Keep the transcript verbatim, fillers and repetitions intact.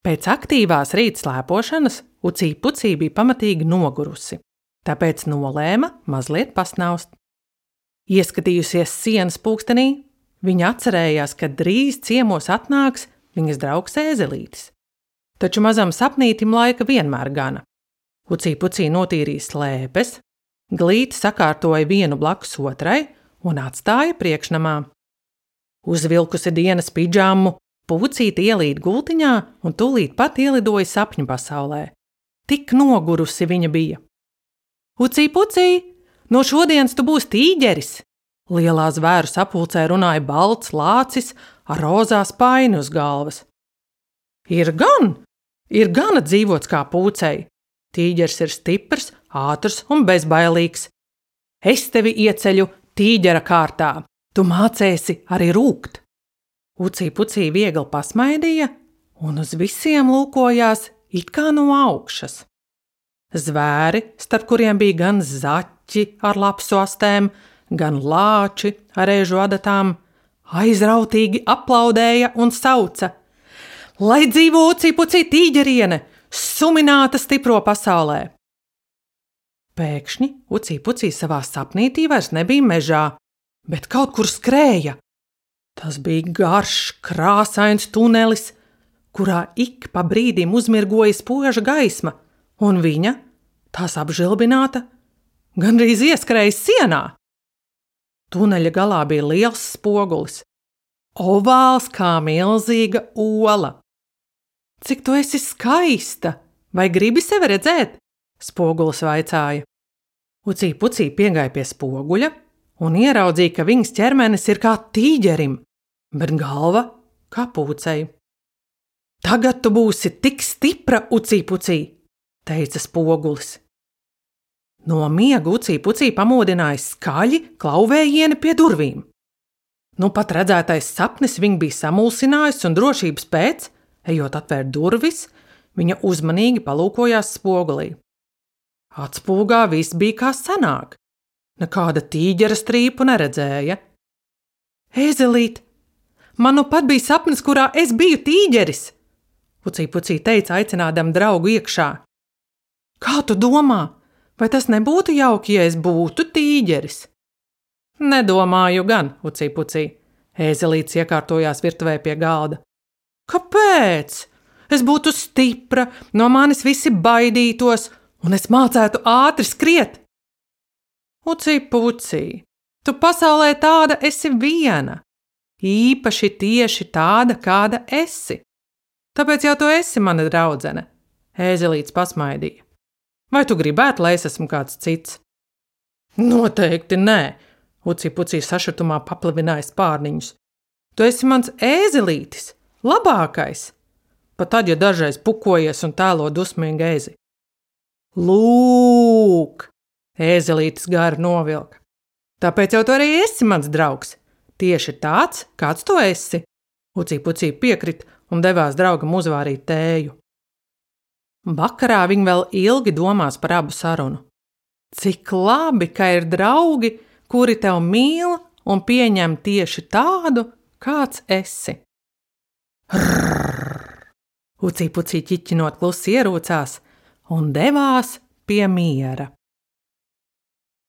Pēc aktīvās rīt slēpošanas Ucī Pucī bija pamatīgi nogurusi, tāpēc nolēma mazliet pasnaust. Ieskatījusies sienas pulkstenī, viņa atcerējās, ka drīz ciemos atnāks viņas draugs Ēzelītis. Taču mazam sapnītim laika vienmēr gana. Ucī Pucī notīrīja slēpes, glīti sakārtoja vienu blakus otrai un atstāja priekšnamā. Uzvilkusi dienas pidžamu, Pucīte ielīd gultiņā un tūlīt pat ielidoja sapņu pasaulē. Tik nogurusi viņa bija. Ucī Pucī, no šodienas tu būsi tīģeris! Lielā zvēru sapulcē runāja balts lācis ar rozā spaini uz galvas. Ir gan, ir gana dzīvots kā Pucei. Tīģeris ir stiprs, ātrs un bezbailīgs. Es tevi ieceļu tīģera kārtā, tu mācēsi arī rūkt. Ucī Pucī viegli pasmaidīja un uz visiem lūkojās it kā no augšas. Zvēri, starp kuriem bija gan zaķi ar lapsu astēm, gan lāči ar ēžu adatām, aizrautīgi aplaudēja un sauca: Lai dzīvo Ucī Pucī tīģeriene, sumināta stipro pasaulē! Pēkšņi Ucī Pucī savā sapnītī vairs nebija mežā, bet kaut kur skrēja. Tas bija garš, krāsains tunelis, kurā ik pa brīdim uzmirgoja spoža gaisma, un viņa, tās apžilbināta, gandrīz ieskrēja sienā. Tuneļa galā bija liels spogulis, ovāls kā milzīga ola. Cik tu esi skaista, vai gribi sevi redzēt? Spogulis vaicāja. Ucī Pucī piegāja pie spoguļa un ieraudzīja, ka viņas ķermenis ir kā tīģerim, bet galva kā Pucei. Tagad tu būsi tik stipra, Ucī Pucī, teica spogulis. No miega Ucī Pucī pamodināja skaļi klauvējieni pie durvīm. Nu pat redzētais sapnis viņu bija samulsinājis un drošības pēc, ejot atvērt durvis, viņa uzmanīgi palūkojās spogulī. Atspūgā viss bija kā senāk. Nekāda tīģera strīpu neredzēja. Ēzelīt, man nu pat bija sapnis, kurā es biju tīģeris, Ucī Pucī teica, aicinādam draugu iekšā. Kā tu domā, vai tas nebūtu jauki, ja es būtu tīģeris? Nedomāju gan, Ucī Pucī. Ēzelīts iekārtojās virtuvē pie galda. Kāpēc? Es būtu stipra, no manis visi baidītos, un es mācētu ātri skriet. Ucī Pucī, tu pasaulē tāda esi viena, īpaši tieši tāda, kāda esi. Tāpēc jau tu esi mana draudzene, Ēzelīts pasmaidīja. Vai tu gribētu, lai es esmu kāds cits? Noteikti nē, Ucī Pucī sašutumā paplivināja spārniņus. Tu esi mans Ēzelītis, labākais, pat tad, ja dažreiz pukojies un tēlo dusmīgi ēzi. Lūk, Ēzelītis gari novilka. Tāpēc jau tu arī esi mans draugs, tieši tāds, kāds tu esi. Ucī Pucī piekrit un devās draugam uzvārīt tēju. Vakarā viņi vēl ilgi domās par abu sarunu. Cik labi, ka ir draugi, kuri tev mīl un pieņem tieši tādu, kāds esi. Rrrr! Ucī Pucī ķiķinot klusi ierūcās un devās pie miera.